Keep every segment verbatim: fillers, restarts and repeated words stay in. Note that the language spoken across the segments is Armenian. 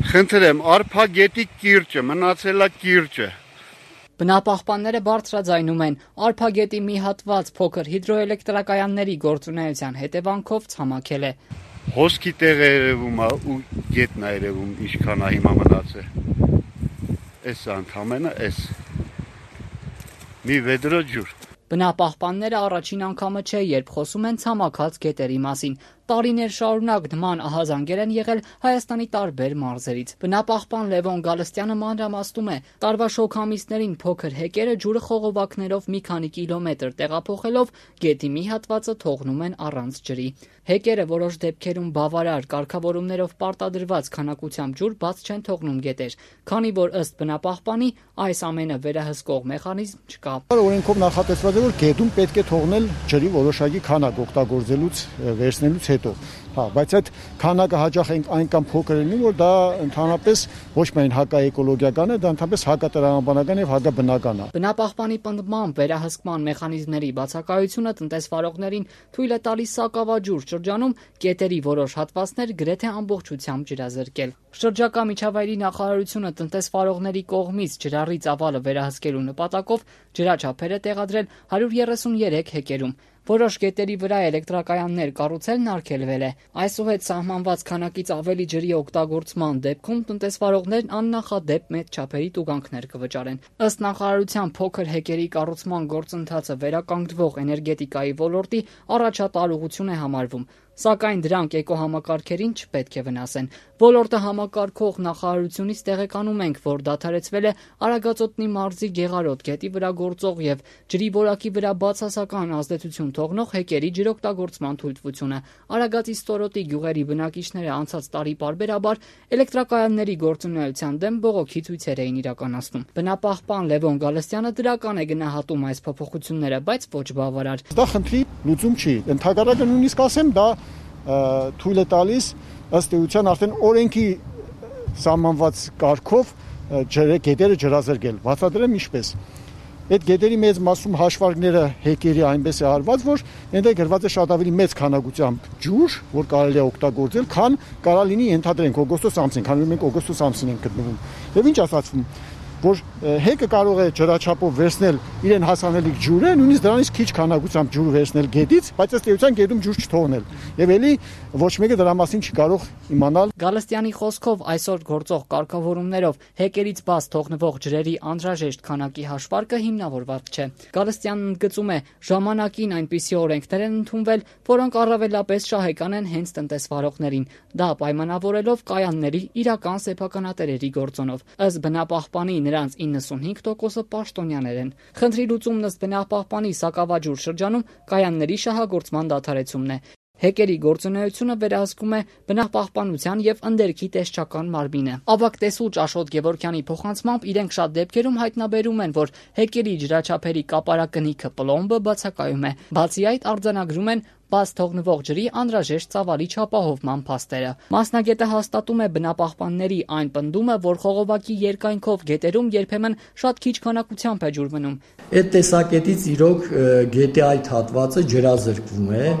Խնդրեմ, արփագետի կիրճը, մնացել է կիրճը։ Բնապահպանները բարձրաձայնում են, արփագետի մի հատված փոքր հիդրոէլեկտրակայանների գործունեության հետևանքով ցամաքել է։ Հոսքի տեղ է երևում ու գետն է երևում, ինչքան է հիմա մնացել։ Էս ընդամենը էս։ Մի վեդրո ջուր։ Բնապահպանները առաջին անգամը չէ, երբ խոսում են ցամաքած գետերի մասին։ Տարիներ շարունակ նման ահազանգեր են եղել Հայաստանի տարբեր մարզերից։ Բնապահպան Լևոն Գալստյանը մանրամասնում է, տարվա շոգ ամիսներին փոքր հեկերը ջուրը խողովակներով մի քանի կիլոմետր տեղափոխելով գետի մի հատվածը թողնում են առանց ջրի։ Հեկերը որոշ դեպքերում բավարար կարգավորումներով պարտադրված քանակությամբ ջուր բաց չեն թողնում գետեր, քանի որ ըստ բնապահպանի այս ամենը վերահսկող մեխանիզմ չկա։ Օրենքով նախատեսված է, որ գետում պետք է թողնել ջրի որոշակի քանակ օգտագործելուց վերցնելուց հետո։ Հա, բայց այդ քանակը հաճախ այնքան փոքր է, որ դա ընդհանրապես ոչ միայն հակաէկոլոգիական է, դա ընդհանրապես հակատրամաբանական եւ հակաբնական է։ Բնապահպանի պնդմամբ վերահսկման մեխանիզմների բացակայությունը տնտեսվարողներին թույլ է տալիս սակավաջուր շրջանում գետերի որոշ հատվածներ գրեթե ամբողջությամբ ջրազրկել։ Շրջակա միջավայրի նախարարությունը տնտեսվարողների կողմից ջրառի ծավալը վերահսկելու նպատակով ջրաչափեր է տեղադրել հարյուր երեսուներեք հեկերում։ Որոշ գետերի վրա էլեկտրակայաններ կառուցելն արգելվել է։ Այսուհետ սահմանված քանակից ավելի ջրի օգտագործման դեպքում տնտեսվարողներն աննախադեպ մեծ չափերի տուգանքներ կվճարեն։ Ըստ նախարարության փոքր հեկերի կառուցման գործընթացը վերականգնվող էներգետիկայի ոլորտի առաջատարողություն է համարվում, սակայն դրանք էկոհամակարգերին չպետք է վնասեն։ Ոլորտը համակարգող նախարարությունից տեղեկանում ենք, որ դադարեցվել է Արագածոտնի մարզի Գեղարոտ գետի վրա գործող եւ ջրի որակի վրա բացասական ազդեցություն թողնող հեկերի ջրօգտագործման թույլտվությունը։ Արագածի ստորոտի գյուղերի բնակիչները անցած տարի պարբերաբար էլեկտրակայանների գործունեության դեմ բողոքի ցույցեր էին իրականացնում։ Բնապահպան Լևոն Գալստյանը դրական է գնահատում այս փոփոխությունները, բայց ոչ բավարար։ Դա խնդրի լուծում չի։ Ընդհանրապես նույնիսկ ասեմ, դա թույլ է տալիս ըստ էության արդեն օրենքի սահմանված կարգով գետերը ջրազրկել։ Բացատրեմ ինչպես։ Այդ գետերի մեծ մասում հաշվարկները հեկերի այնպես է արված, որ այնտեղ գրված է շատ ավելի մեծ քանակությամբ ջուր, որ կարելի է օգտագործել, քան կարա լինի ենթադրենք օգոստոս ամսին, քանի որ մենք օգոստոս ամսին ենք գտնվում։ Եվ ինչ ասացվում, որ հեկը կարող է ջրաչափով վերցնել իրեն հասանելիք ջուրը, նույնիսկ դրանից քիչ քանակությամբ ջուր վերցնել գետից, բայց ըստ էության գետում ջուր չթողնել։ Եվ էլի ոչ մեկը դրա մասին չի կարող իմանալ։ Գալստյանի խոսքով այսօր գործող կարգավորումներով հեկերից բաց թողնվող ջրերի անհրաժեշտ քանակի հաշվարկը հիմնավորված չէ։ Գալստյանն ընդգծում է, ժամանակին այնպիսի օրենքներ են ընդունվել, որոնք առավելապես շահեկան են հենց տնտեսվարողներին, դա պայմանավորելով կայանների իրական սեփականատերերի գործոնով։ Ըստ բնապահպանի նրանց իննսունհինգ տոկոսը պաշտոնյաներ են։ Խնդրի լուծումն ըստ բնապահպանի Սակավաջուր շրջանում կայանների շահագործման դադարեցումն է։ Հեկերի գործունեությունը վերահսկում է բնապահպանության եւ ընդերքի տեսչական մարմինը։ Ավագ տեսուչ Աշոտ Գևորգյանի փոխանցմամբ իրենք շատ դեպքերում հայտնաբերում են, որ հեկերի ջրաչափերի կապարակնիքը պլոմբը բացակայում է։ Բացի այդ, արձանագրում են բաց թողնվող ջրի անհրաժեշտ ծավալի չապահովման փաստերը։ Մասնագետը հաստատում է բնապահպանների այն պնդումը, որ խողովակի երկայնքով գետերում երբեմն շատ քիչ քանակությամբ է ջուր մնում։ Այդ տեսակետից իրոք գետի այդ հատվածը ջրազրկվում է։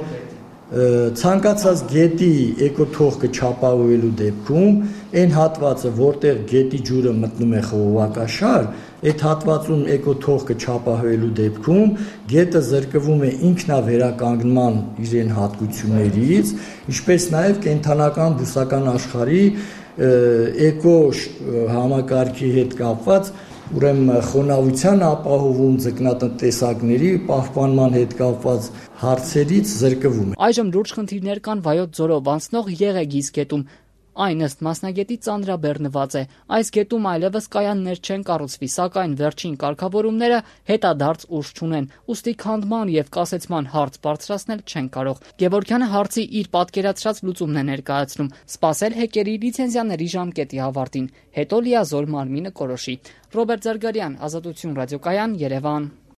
Ցանկացած գետի էկոթողքը չապահովելու դեպքում այն հատվածը, որտեղ գետի ջուրը մտնում է խողովակաշար, այդ հատվածում էկոթողքը չապահովելու դեպքում գետը զրկվում է ինքնավերականգնման իրեն հատկություններից, ինչպես նաև կենդանական բուսական աշխարհի էկո համակարգի հետ կապված ուրեմն խոնավության ապահովում ձկնատնտեսակների պահպանման հետ կապված հարցերից զրկվում է։ Այժմ լուրջ խնդիրներ կան Վայոց ձորով անցնող Եղեգիս գետում։ Այն ըստ մասնագետի ծանրաբեռնված է։ Այս գետում այլևս կայաններ չեն կառուցվի, սակայն վերջին կարգավորումները հետադարձ ուժ չունեն, ուստի քանդման եւ կասեցման հարց բարձրացնել չեն կարող։ Գևորգյանը հարցի իր պատկերացրած լուծումն է ներկայացնում՝ սպասել հեկերի լիցենզիաների ժամկետի ավարտին, հետո լիազոր մարմինը կորոշի։ Ռոբերտ Զարգարյան, Ազատություն ռադիոկայան, Երևան։